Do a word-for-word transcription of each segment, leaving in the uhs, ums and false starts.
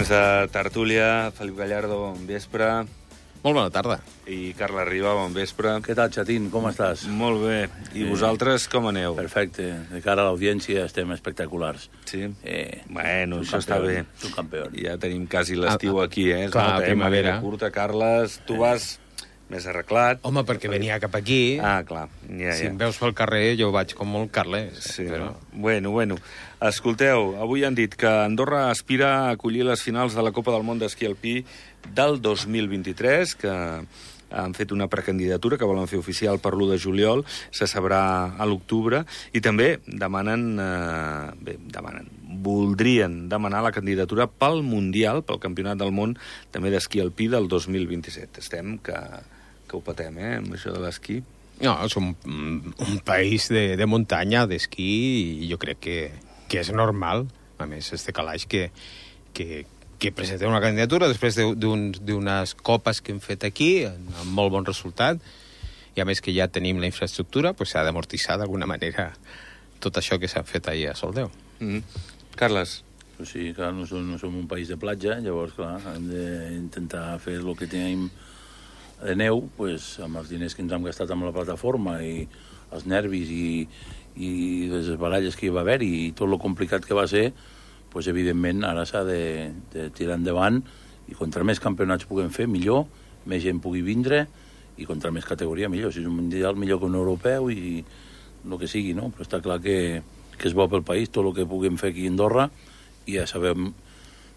Des de Tertúlia, Felip Gallardo, bon vespre. Molt bona tarda. I Carla Riba, bon vespre. Què tal, xatín? Com estàs? Molt bé. I Eh, vosaltres com aneu? Perfecte. De cara a l'audiència estem espectaculars. Sí? Eh, Bueno, això està bé. És un campió. Ja tenim quasi l'estiu Ah, aquí, eh? Es clar, nota, eh? primavera. Màniga curta, Carles, tu vas més arreglat. Home, perquè venia cap aquí. Ah, clar. Ja, Si ja. em veus pel carrer, jo vaig com molt Carles. Sí, però... bueno, bueno. Escolteu, avui han dit que Andorra aspira a acollir les finals de la Copa del Món d'Esquí Alpí del dos mil vint-i-tres, que han fet una precandidatura que volen fer oficial per l'u de juliol, se sabrà a l'octubre, i també demanen, eh, bé, demanen, voldrien demanar la candidatura pel Mundial, pel Campionat del Món, també d'Esquí Alpí del dos mil vint-i-set. Estem que, que ho patem, eh, amb això de l'esquí. No, som un, un país de, de muntanya, d'esquí, i jo crec que, que és normal, a més, este calaix que, que, que presentem una candidatura després d'unes de, un, copes que hem fet aquí, amb molt bon resultat, i a més que ja tenim la infraestructura, pues s'ha d'amortitzar d'alguna manera tot això que s'ha fet ahir a Soldeu. Mm -hmm. Carles? Pues sí, clar, no som, no som un país de platja, llavors, clar, hem d'intentar fer el que tenim de neu, pues, amb els diners que ens hem gastat amb la plataforma i els nervis i, i les baralles que hi va haver i tot lo complicat que va ser, pues, evidentment, ara s'ha de, de tirar endavant i contra més campionats puguem fer, millor, més gent pugui vindre i contra més categoria, millor. Si és un mundial, millor que un europeu i el que sigui, no? Però està clar que, que és bo pel país, tot el que puguem fer aquí a Andorra, i ja sabem,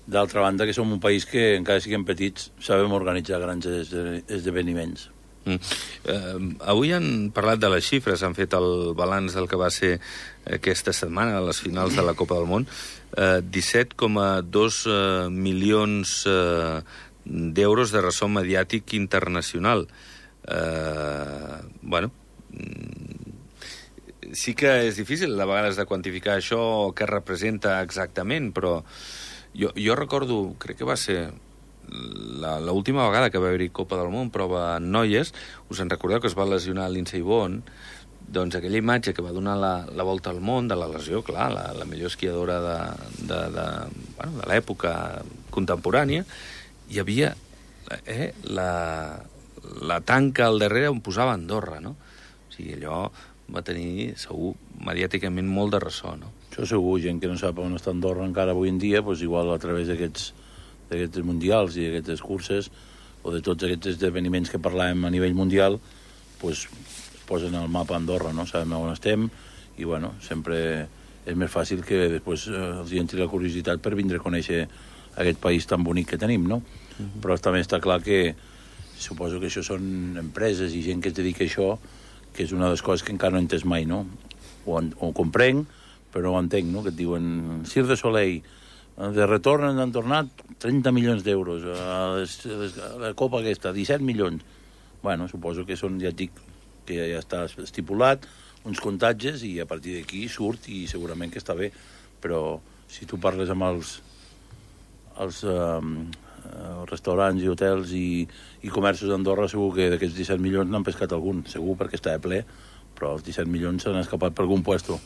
d'altra banda, que som un país que, encara siguem petits, sabem organitzar grans esdeveniments. Mm. Eh, avui han parlat de les xifres, han fet el balanç del que va ser aquesta setmana, a les finals de la Copa del Món. Eh, disset coma dos eh, milions eh, d'euros de ressò mediàtic internacional. Eh, bueno, sí que és difícil de vegades de quantificar això, què representa exactament, però jo, jo recordo, crec que va ser l'última vegada que va haver-hi Copa del Món, prova en noies, us en recordeu que es va lesionar Lindsey Vonn, doncs aquella imatge que va donar la, la volta al món de la lesió, clar, la, la millor esquiadora de, de, de, bueno, de l'època contemporània, hi havia eh, la, la tanca al darrere on posava Andorra, no? O sigui, allò va tenir, segur, mediàticament molt de ressò, no? Això segur, gent que no sap on està Andorra encara avui en dia, doncs igual a través d'aquests d'aquests mundials i d'aquestes curses o de tots aquests esdeveniments que parlàvem a nivell mundial, doncs posen al mapa Andorra, no? Sabem on estem i, bueno, sempre és més fàcil que després eh, els entri la curiositat per vindre a conèixer aquest país tan bonic que tenim, no? Uh-huh. Però també està clar que suposo que això són empreses i gent que es dedica a això, que és una de les coses que encara no he entès mai, no? Ho, ho comprenc, però no ho entenc, no? Que et diuen Cirque du Soleil, de retorn ens han tornat trenta milions d'euros, a, a la Copa aquesta, disset milions. Bueno, suposo que són, ja et dic, que ja, ja està estipulat, uns contatges, i a partir d'aquí surt, i segurament que està bé. Però si tu parles amb els, els um, restaurants i hotels i, i comerços d'Andorra, segur que d'aquests disset milions n'han pescat algun, segur, perquè està ple, però els disset milions s'han escapat per algun puesto.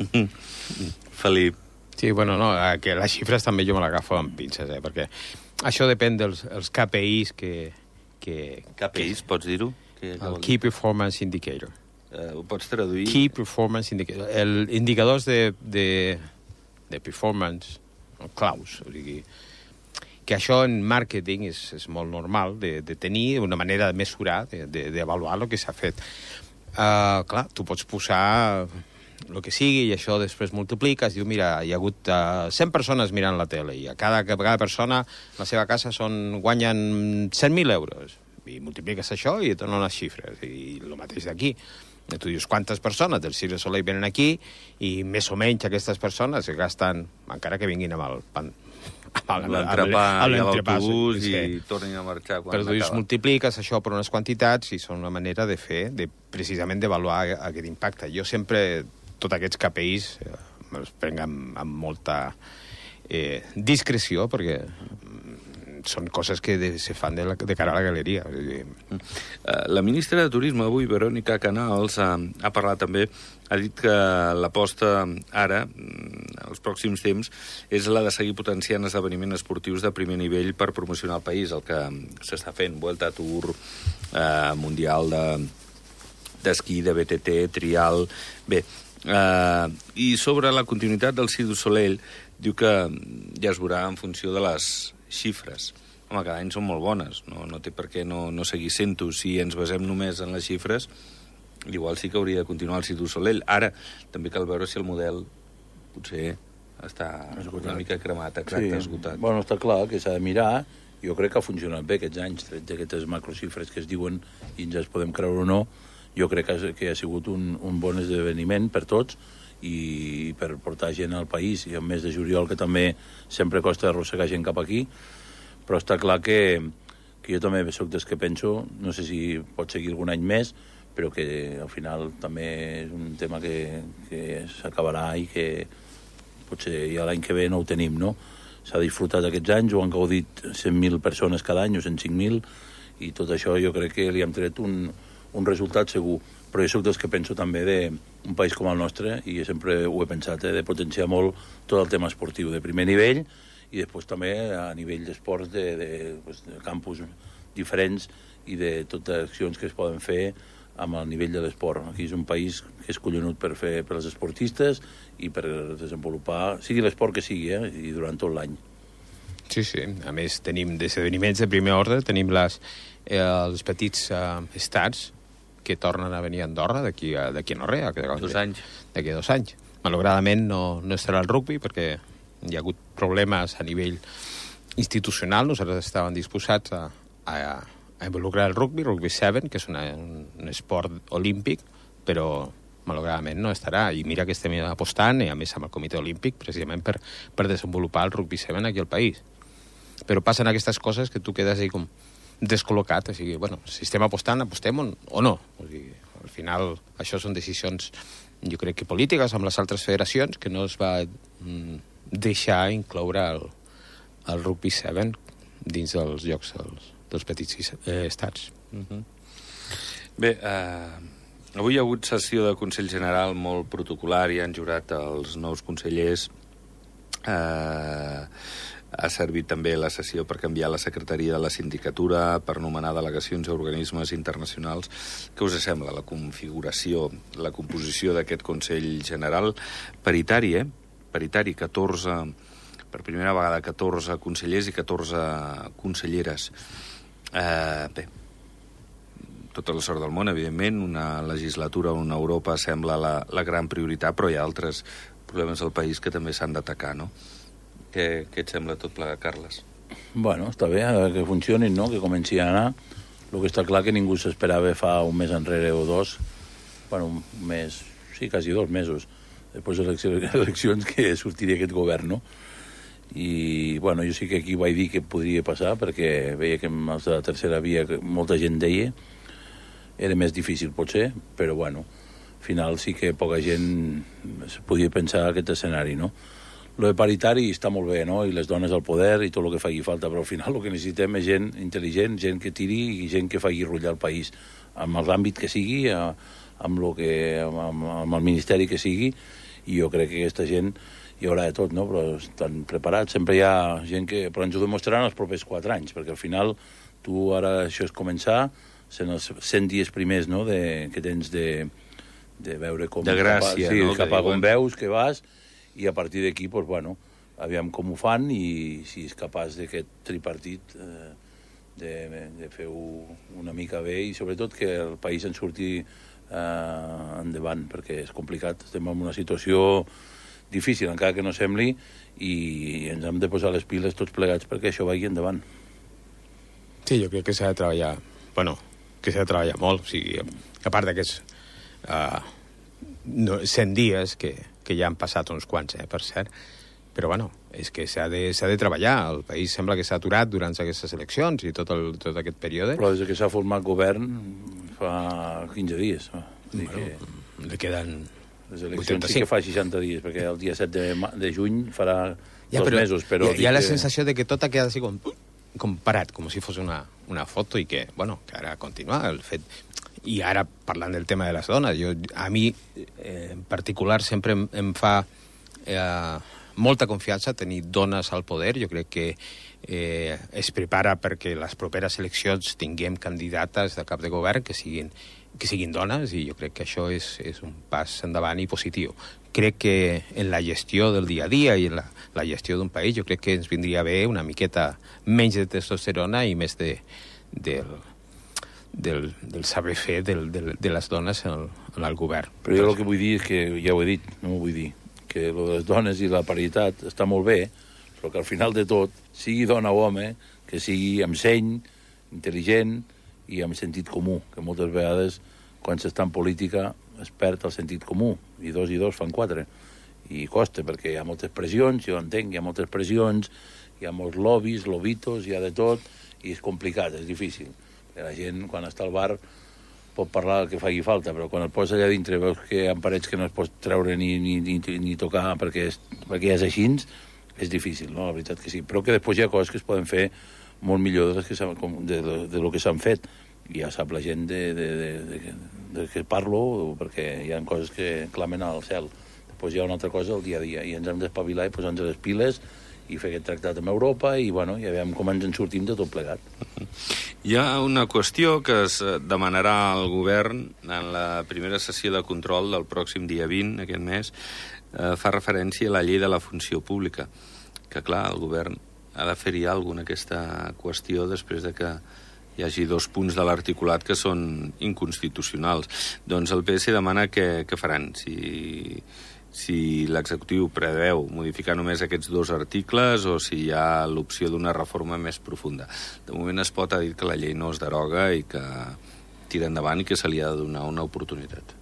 Felip. Sí, bueno, no, que les xifres també jo me l'agafo amb pinces, eh, perquè això depèn dels els K P Is que... que K P Is, pots dir-ho? El Key Performance Indicator. Uh, ho pots traduir? Key Performance Indicator. El indicadors de, de, de performance, claus, o sigui, que això en màrqueting és, és molt normal de, de tenir una manera de mesurar, d'avaluar de, de, el que s'ha fet. Uh, clar, tu pots posar el que sigui, i això després multipliques, diu, mira, hi ha hagut uh, cent persones mirant la tele, i a cada, cada persona a la seva casa són, guanyen cent mil euros, i multipliques això i et donen les xifres, i el mateix d'aquí. I tu dius, quantes persones del Cirque du Soleil venen aquí, i més o menys aquestes persones gasten, encara que vinguin amb el pan, l'entrepà i l'autobús i sí. Tornin a marxar quan però tu dius, multipliques això per unes quantitats i són una manera de fer, de, precisament d'avaluar aquest impacte. Jo sempre, tots aquests K P Is, eh, me'ls prenc amb, amb molta eh, discreció, perquè són coses que de, se fan de, la, de cara a la galeria. La ministra de Turisme avui, Verònica Canals, ha, ha parlat també, ha dit que l'aposta ara, els pròxims temps, és la de seguir potenciant esdeveniments esportius de primer nivell per promocionar el país, el que s'està fent, Vuelta, Tour, eh, Mundial de d'esquí, de B T T, trial... Bé, eh, i sobre la continuïtat del Cirque du Soleil, diu que ja es veurà en funció de les xifres. Home, cada any són molt bones, no, no té per què no, no seguir sent-ho. Si ens basem només en les xifres, igual sí que hauria de continuar el Cirque du Soleil. Ara, també cal veure si el model potser està esgotat. Una mica cremat, exacte, sí. esgotat. Bueno, està clar que s'ha de mirar. Jo crec que ha funcionat bé aquests anys, tret d'aquestes macroxifres que es diuen i ens les podem creure o no. Jo crec que ha, que ha sigut un, un bon esdeveniment per tots i per portar gent al país, i el mes de juliol, que també sempre costa arrossegar gent cap aquí, però està clar que, que jo també soc dels que penso, no sé si pot seguir algun any més, però que al final també és un tema que, que s'acabarà i que potser ja l'any que ve no ho tenim, no? S'ha disfrutat aquests anys, ho han gaudit cent mil persones cada any o cent cinc mil, i tot això jo crec que li hem tret un, un resultat segur. Però jo soc dels que penso també d'un país com el nostre, i sempre ho he pensat, eh, de potenciar molt tot el tema esportiu de primer nivell, i després també a nivell d'esports de, de, pues, de campus diferents i de totes les accions que es poden fer amb el nivell de l'esport. Aquí és un país que és collonut per fer per als esportistes i per desenvolupar, sigui l'esport que sigui, eh, i durant tot l'any. Sí, sí. A més, tenim esdeveniments de primer ordre, tenim les, eh, els petits eh, estats que tornen a venir a Andorra d'aquí a, d'aquí a no res. Dos anys. D'aquí a dos anys. Malauradament no, no estarà el rugby perquè hi ha hagut problemes a nivell institucional. Nosaltres estàvem disposats a, a, a involucrar el rugby, rugby set, que és una, un, un esport olímpic, però malauradament no estarà. I mira que estem apostant, i a més amb el comitè olímpic, precisament per, per desenvolupar el rugby set aquí al país. Però passen aquestes coses que tu quedes ahí com descol·locat, o sigui, bueno, si estem apostant, apostem o no. O sigui, al final, això són decisions, jo crec que polítiques, amb les altres federacions, que no es va mm, deixar incloure el, el rugby set dins dels jocs dels, dels petits eh, estats. Uh-huh. Bé, eh, avui hi ha hagut sessió de Consell General molt protocolar i han jurat els nous consellers. Eh... Ha servit també la sessió per canviar la secretaria de la sindicatura, per nomenar delegacions a organismes internacionals. Què us sembla la configuració, la composició d'aquest Consell General? Paritari, eh? Paritari, catorze, per primera vegada catorze consellers i catorze conselleres. Eh, bé, tota la sort del món, evidentment, una legislatura on Europa sembla la, la gran prioritat, però hi ha altres problemes al país que també s'han d'atacar, no? Què, què et sembla tot plegat, Carles? Bueno, està bé, que funcionin, no? Que comenci a anar. El que està clar que ningú s'esperava fa un mes enrere o dos, bueno, un mes, sí, quasi dos mesos, després de les eleccions, que sortiria aquest govern, no? I, bueno, jo sí que aquí vaig dir que podria passar, perquè veia que amb els de la tercera via molta gent deia, era més difícil potser, però, bueno, al final sí que poca gent es podia pensar aquest escenari, no? Lo de paritari està molt bé, no? I les dones al poder i tot el que faci falta, però al final el que necessitem és gent intel·ligent, gent que tiri i gent que faci rullar el país, amb l'àmbit que sigui, amb, lo que, amb, amb el ministeri que sigui, i jo crec que aquesta gent hi haurà de tot, no? Però estan preparats, sempre hi ha gent que... Però ens ho demostraran els propers quatre anys, perquè al final tu ara això és començar, sent els cent dies primers, no?, de, que tens de, de veure com... De gràcia, cap a, sí, no? cap a on veus, que vas... I a partir d'aquí, doncs, bueno, aviam com ho fan i si és capaç d'aquest tripartit eh, de, de fer-ho una mica bé i sobretot que el país en surti eh, endavant, perquè és complicat. Estem en una situació difícil, encara que no sembli, i ens hem de posar les piles tots plegats perquè això vagi endavant. Sí, jo crec que s'ha de treballar, bueno, que s'ha de treballar molt, o sigui, a part d'aquests uh, no, cent dies que que ja han passat uns quants, eh, per cert, però, bueno, és que s'ha de, s'ha de treballar. El país sembla que s'ha aturat durant aquestes eleccions i tot, el, tot aquest període. Però des que s'ha format govern fa quinze dies. Bueno, que... li queden les eleccions sí que fa seixanta dies, perquè el dia set de, de juny farà ja, dos però mesos. Però hi ha, hi ha la que... sensació de que tot ha quedat així com... comparat com si fos una, una foto i que, bueno, que ara continua el fet. I ara, parlant del tema de les dones, jo, a mi eh, en particular sempre em, em fa eh, molta confiança tenir dones al poder. Jo crec que eh, es prepara perquè les properes eleccions tinguem candidates de cap de govern que siguin, que siguin dones, i jo crec que això és, és un pas endavant i positiu. Crec que en la gestió del dia a dia i en la, la gestió d'un país jo crec que ens vindria bé una miqueta menys de testosterona i més de, del, del, del saber fer del, del, de les dones en el, en el govern. Però jo el que vull dir és que, ja ho he dit, no ho vull dir, que lo de les dones i la paritat està molt bé, però que al final de tot, sigui dona o home, que sigui amb seny, intel·ligent i amb sentit comú, que moltes vegades quan s'està en política es perd el sentit comú, i dos i dos fan quatre, i costa, perquè hi ha moltes pressions, jo entenc, hi ha moltes pressions, hi ha molts lobbies, lobitos, hi ha de tot, i és complicat, és difícil. Perquè la gent, quan està al bar, pot parlar el que faci falta, però quan el poses allà dintre veus que hi ha parets que no es pot treure ni, ni, ni, ni tocar perquè, és, perquè ja és així, és difícil, no? La veritat que sí. Però que després hi ha coses que es poden fer molt millor de, que de, de, de lo que s'han fet. I ja sap la gent de, de, de, de, de què parlo, perquè hi ha coses que clamen al cel. Després hi ha una altra cosa el dia a dia, i ens hem d'espavilar i posar-nos les piles i fer aquest tractat amb Europa, i bueno, ja veiem com ens en sortim de tot plegat. Hi ha una qüestió que es demanarà al govern en la primera sessió de control del pròxim dia vint, aquest mes, eh, fa referència a la llei de la funció pública, que clar, el govern ha de fer-hi alguna cosa en aquesta qüestió després de que hi hagi dos punts de l'articulat que són inconstitucionals. Doncs el P S demana què, què faran, si, si l'executiu preveu modificar només aquests dos articles o si hi ha l'opció d'una reforma més profunda. De moment es pot ha dit que la llei no es deroga i que tira endavant i que se li ha de donar una oportunitat.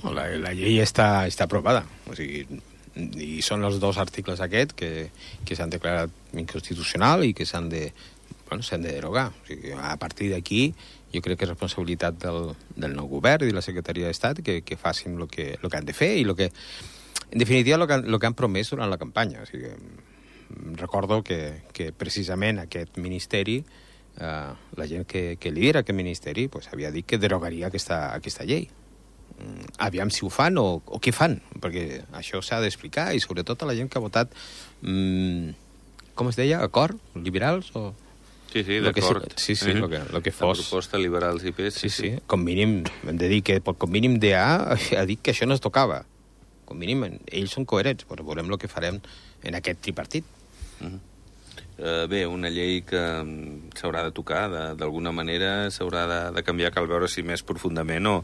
La, la llei està, està aprovada, o sigui, i són els dos articles aquests que, que s'han declarat inconstitucional i que s'han de Bueno, s'han de derogar. O sigui, a partir d'aquí, jo crec que és responsabilitat del, del nou govern i de la Secretaria d'Estat que, que facin el que, lo que han de fer i lo que, en definitiva, el que, lo que han promès durant la campanya. O sigui, recordo que, que precisament aquest ministeri, eh, la gent que, que lidera aquest ministeri, pues, havia dit que derogaria aquesta, aquesta llei. Aviam si ho fan o, o què fan, perquè això s'ha d'explicar, i sobretot a la gent que ha votat, mmm, com es deia, acord? Liberals o... Sí, sí, d'acord. Sí, sí, el que, lo que fos. La proposta liberals i P S. Sí, sí, sí. Com mínim, hem de dir que com mínim D A ha dit que això no es tocava. Com mínim, ells són coherents, però veurem el que farem en aquest tripartit. Uh -huh. uh, bé, una llei que s'haurà de tocar, d'alguna manera s'haurà de, de canviar, cal veure si més profundament o,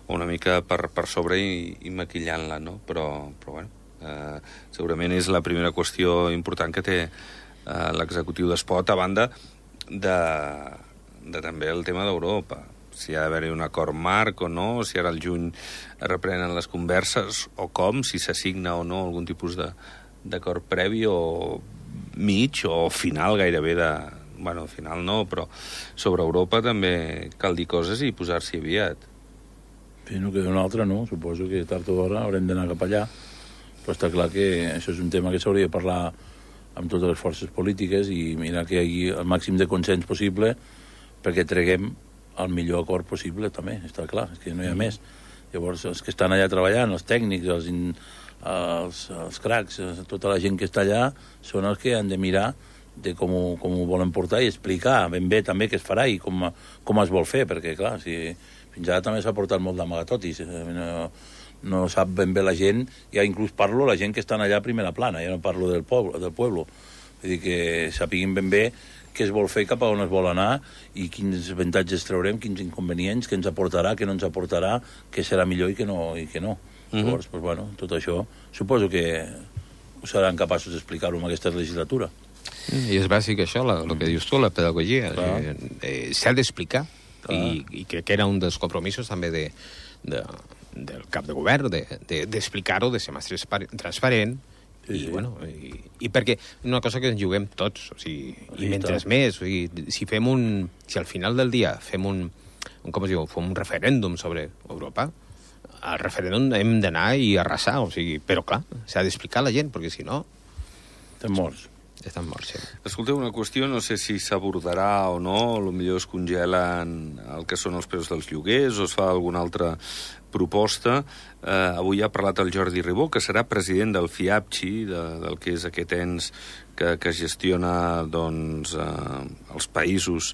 o una mica per, per sobre i, i maquillant-la, no? Però, però bueno, uh, segurament és la primera qüestió important que té uh, l'executiu d'Espot, a banda De, de també el tema d'Europa, si ha d'haver-hi un acord marc o no, si ara al juny es reprenen les converses o com, si s'assigna o no algun tipus d'acord previ o mig o final gairebé de... Bueno, final no, però sobre Europa també cal dir coses i posar-s'hi aviat. Sí, no queda una altra, no? Suposo que tard o d'hora haurem d'anar cap allà, però està clar que això és un tema que s'hauria de parlar amb totes les forces polítiques i mirar que hi hagi el màxim de consens possible perquè treguem el millor acord possible, també, està clar, és que no hi ha mm. més. Llavors, els que estan allà treballant, els tècnics, els, els, els cracs, tota la gent que està allà, són els que han de mirar de com ho, com ho volen portar i explicar ben bé també què es farà i com, com es vol fer, perquè, clar, si, fins ara també s'ha portat molt d'amagatotis, no... no sap ben bé la gent, ja inclús parlo la gent que estan allà a primera plana, ja no parlo del poble, del pueblo. Vull dir que sapiguin ben bé què es vol fer, cap a on es vol anar i quins avantatges traurem, quins inconvenients, què ens aportarà, què no ens aportarà, què serà millor i què no. I què no. Uh -huh. Llavors, pues, bueno, tot això suposo que ho seran capaços d'explicar-ho en aquesta legislatura. I és bàsic això, el que dius tu, la pedagogia. Eh, eh, S'ha d'explicar i, i crec que era un dels compromisos també de, de del cap de govern, d'explicar-ho, de, de ser més transparent, sí, i, sí. Bueno, i, i perquè una cosa que ens juguem tots, o sigui, i mentre més, o sigui, si fem un, si al final del dia fem un, un com es diu, fem un referèndum sobre Europa, al referèndum hem d'anar i arrasar, o sigui, però clar, s'ha d'explicar a la gent, perquè si no... Estem morts. Estan morts, sí. Escolteu, una qüestió, no sé si s'abordarà o no, potser es congelen el que són els preus dels lloguers o es fa alguna altra proposta. Eh, avui ha parlat el Jordi Ribó, que serà president del FIAPCI, de, del que és aquest ens que, que gestiona doncs, eh, els països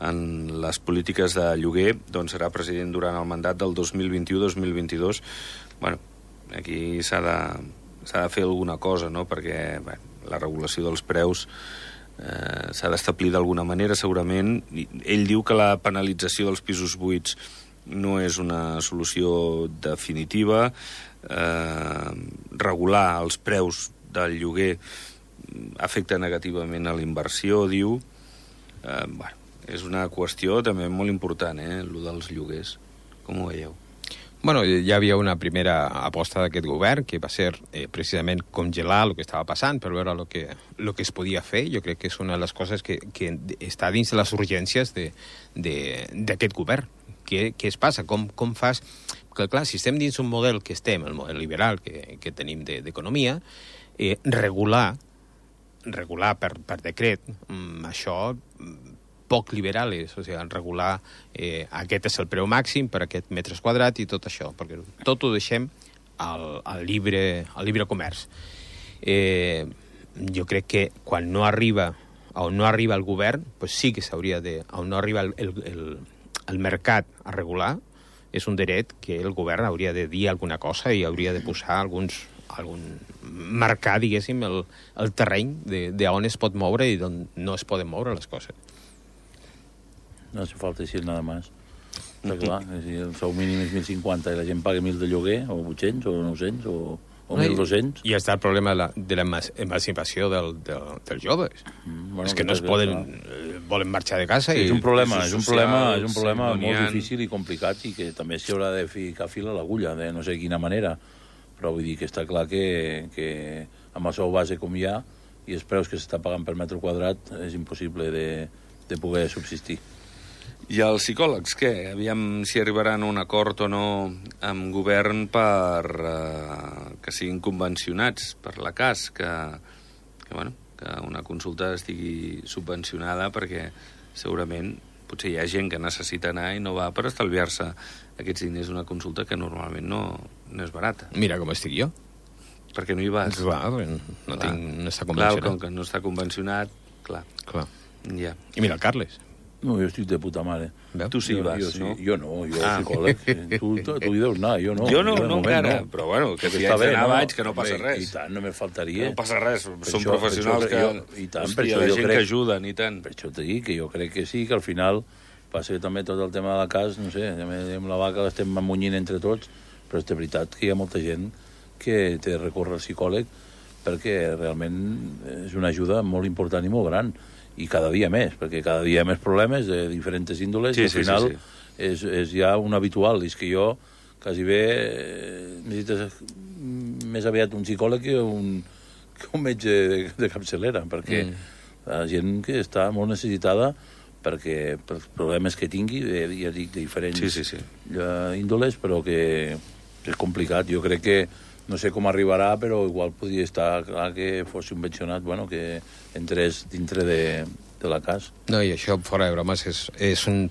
en les polítiques de lloguer, doncs serà president durant el mandat del dos mil vint-i-u dos mil vint-i-dos. Bueno, aquí s'ha de, s'ha de fer alguna cosa, no?, perquè bé, la regulació dels preus eh, s'ha d'establir d'alguna manera, segurament. Ell diu que la penalització dels pisos buits no és una solució definitiva. Eh, regular els preus del lloguer afecta negativament a la inversió, diu. Eh, bueno, és una qüestió també molt important, eh, el dels lloguers. Com ho veieu? Bueno, ja havia una primera aposta d'aquest govern, que va ser eh, precisament congelar el que estava passant per veure el que, lo que es podia fer. Jo crec que és una de les coses que, que està dins de les urgències d'aquest govern. Què, què es passa? Com, com fas? Perquè, clar, si estem dins un model que estem, el model liberal que, que tenim d'economia, de, eh, regular, regular per, per decret, mm, això poc liberales, o sigui, regular eh, aquest és el preu màxim per aquest metres quadrat i tot això, perquè tot ho deixem al, al, llibre, al llibre comerç. Eh, jo crec que quan no arriba, on no arriba el govern, pues sí que s'hauria de... On no arriba el, el, el, el mercat a regular, és un dret que el govern hauria de dir alguna cosa i hauria de posar alguns algun marcar, diguéssim, el, el terreny d'on es pot moure i d'on no es poden moure les coses. No hace falta decir nada más. Està clar, si el sou mínim és mil cinquanta i la gent paga mil de lloguer, o vuit-cents, o nou-cents, o, o mil dos-cents... I està el problema de l'emancipació del, del, dels joves. Mm, bueno, és que no es poden... Eh, volen marxar de casa i... És un problema, és un problema, és un problema sí, molt difícil i complicat i que també s'hi haurà de ficar fil a l'agulla, de no sé quina manera. Però vull dir que està clar que, que amb el sou base com hi ha i els preus que s'està pagant per metre quadrat és impossible de, de poder subsistir. I els psicòlegs, què? Aviam si arribaran a un acord o no amb govern per eh, que siguin convencionats per la C A S, que, que, bueno, que una consulta estigui subvencionada, perquè segurament potser hi ha gent que necessita anar i no va per estalviar-se aquests diners d'una consulta que normalment no, no és barata. Mira com estic jo. Perquè no hi vas. Clar, no, clar. Tinc, no està convencionat. Clar, com que no està convencionat, clar. Clar. Ja. I mira el Carles. No, jo estic de puta mare. Veu? Tu sí jo, vas, jo, sí. no? Jo no, jo ah. psicòleg. Tu, tu, tu hi deus anar, jo no. Jo no, jo no encara, no. però bueno, que si està haig bé, d'anar no? vaig, que no passa res. I tant, només faltaria. Que no passa res, per són això, professionals per que... jo, i tant, hòstia, per això la jo gent crec, que ajuden, i tant. Per això t'he dit que jo crec que sí, que al final passa també tot el tema de la casa, no sé, amb la vaca l'estem amunyint entre tots, però és de veritat que hi ha molta gent que té de recórrer al psicòleg perquè realment és una ajuda molt important i molt gran. I cada dia més, perquè cada dia hi ha més problemes de diferents índoles, sí, i al sí, final sí, sí. És, és ja un habitual. És que jo quasi bé eh, necessites més aviat un psicòleg que un, que un metge de, de capçalera, perquè mm. la gent que està molt necessitada perquè pels problemes que tingui, de, ja dic, de diferents sí, sí, sí. índoles, però que és complicat. Jo crec que no sé com arribarà, però igual podria estar clar que fos subvencionat, bueno, que entrés dintre de, de la C A S. No, i això, fora de bromes, és, és, un,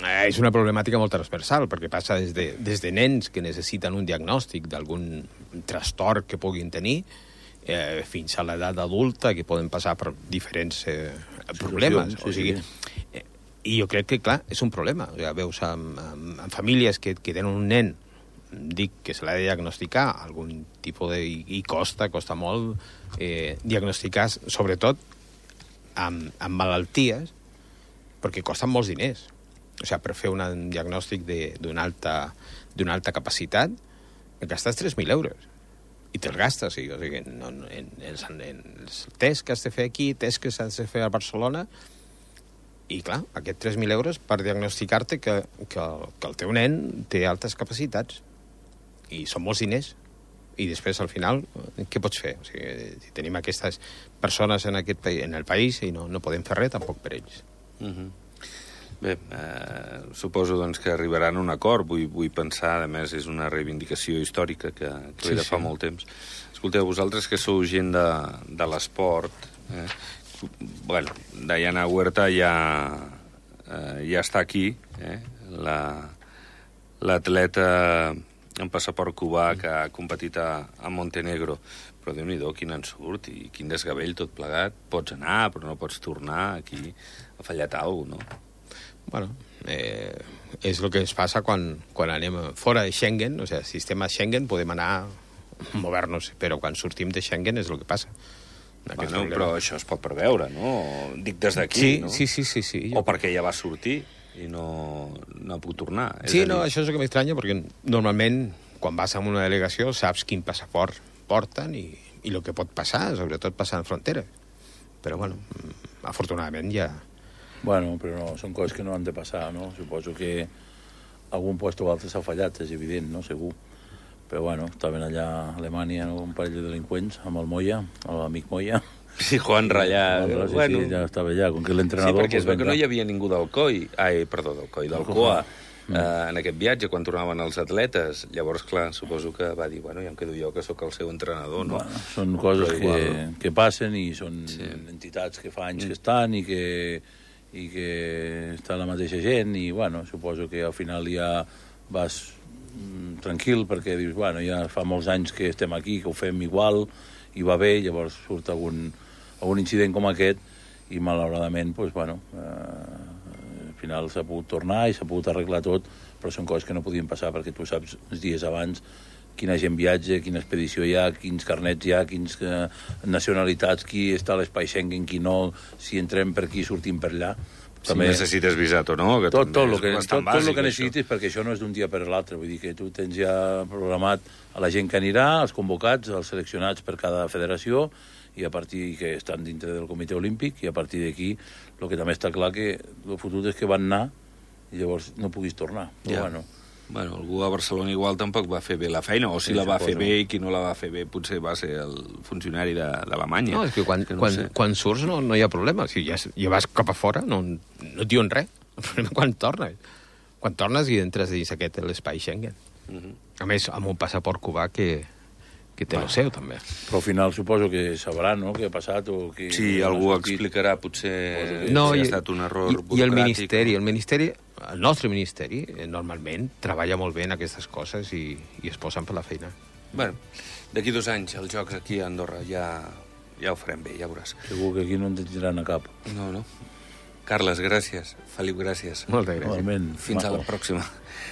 és una problemàtica molt transversal, perquè passa des de, des de nens que necessiten un diagnòstic d'algun trastorn que puguin tenir, eh, fins a l'edat adulta, que poden passar per diferents eh, problemes. Sí, o sigui, sí. Eh, I jo crec que, clar, és un problema. O sigui, veus amb, amb, amb famílies que, que tenen un nen, dic que se l'ha de diagnosticar algun tipus de... i costa, costa molt eh, diagnosticar, sobretot amb, amb malalties, perquè costen molts diners. O sigui, per fer un diagnòstic d'una alta, d'una alta capacitat gastes tres mil euros i te'ls gastes, o sigui, en, en, en, els, en els tests que has de fer aquí, tests que s'has de fer a Barcelona, i clar, aquests tres mil euros per diagnosticar-te que, que, que el teu nen té altes capacitats. I són molts diners. I després, al final, què pots fer? O sigui, si tenim aquestes persones en, aquest, en el país i no, no podem fer res tampoc per ells. Uh-huh. Bé, eh, suposo doncs, que arribaran a un acord. Vull, vull pensar, a més, és una reivindicació històrica que, que ve de fa sí. molt temps. Escolteu, vosaltres que sou gent de, de l'esport, Eh? Bueno, Diana Huerta ja, eh, ja està aquí, eh? La, l'atleta amb passaport cubà que ha competit a, a Montenegro. Però Déu-n'hi-do, quin ensurt i quin desgavell tot plegat. Pots anar, però no pots tornar. Aquí ha fallat alguna cosa, no? Bueno, eh, és el que ens passa quan, quan anem fora de Schengen, o sigui, sistema Schengen, podem anar, mover-nos, però quan sortim de Schengen és el que passa. Bueno, però això es pot preveure, no? Dic des d'aquí, sí, no? Sí, sí, sí, sí. O perquè ja va sortir i no, no ha pogut tornar. Sí, no, això és el que m'estranya, perquè normalment, quan vas a una delegació, saps quin passaport porten i, i el que pot passar, sobretot passar en frontera. Però, bueno, afortunadament ja... Bueno, però no, són coses que no han de passar, no? Suposo que algun lloc o altre s'ha fallat, és evident, no? Segur. Però, bueno, estaven allà a Alemanya, no? Un parell de delinqüents, amb el Moya, amb l'amic Moya. Sí, Juan Rallà. Sí, bueno. sí, ja estava allà, com que l'entrenador... Sí, perquè es veu que no hi havia ningú del C O I, ai, perdó, del C O I, del C O A, mm. eh, en aquest viatge, quan tornaven els atletes. Llavors, clar, suposo que va dir, bueno, ja em quedo jo, que sóc el seu entrenador, no? Bueno, són coses que, que passen i són sí. entitats que fa anys mm. que estan i que, i que està la mateixa gent i, bueno, suposo que al final ja vas tranquil perquè dius, bueno, ja fa molts anys que estem aquí, que ho fem igual i va bé, llavors surt algun, algun incident com aquest i malauradament, doncs, bueno, eh, al final s'ha pogut tornar i s'ha pogut arreglar tot, però són coses que no podien passar perquè tu saps els dies abans quina gent viatja, quina expedició hi ha, quins carnets hi ha, quins eh, nacionalitats, qui està a l'espai Schengen, qui no, si entrem per aquí, sortim per allà. Si també... necessites visat o no, que tot, tot, el que, tot, bàsic, tot el que necessitis, això. Perquè això no és d'un dia per l'altre, vull dir que tu tens ja programat a la gent que anirà, els convocats, els seleccionats per cada federació, i a partir que estan dintre del comitè olímpic, i a partir d'aquí, el que també està clar que el futur és que van anar i llavors no puguis tornar. Però, ja. bueno, Bueno, algú a Barcelona igual tampoc va fer bé la feina, o si sí, la va fer bé i qui no la va fer bé potser va ser el funcionari d'Alemanya. No, és que quan, que no quan, sé. quan surts no, no hi ha problema. Si ja, ja vas cap a fora, no, no et diuen res. El problema quan tornes. Quan tornes i entres dins aquest l'espai Schengen. Uh -huh. A més, amb un passaport cubà que, que té bueno, el seu, també. Però al final suposo que sabrà, no?, què ha passat o que... Sí, algú explicarà, potser no, si i, ha estat un error i, burocràtic. I el Ministeri, el Ministeri... El nostre ministeri, eh, normalment, treballa molt bé en aquestes coses i, i es posen per la feina. Bueno, d'aquí dos anys, els Jocs aquí a Andorra, ja, ja ho farem bé, ja veuràs. Segur que aquí no ens tiraran a cap. No, no. Carles, gràcies. Felip, gràcies. Moltes gràcies. Igualment. Fins Maco. a la pròxima.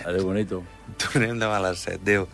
Adéu, bonito. Tornem demà a les set. Adéu.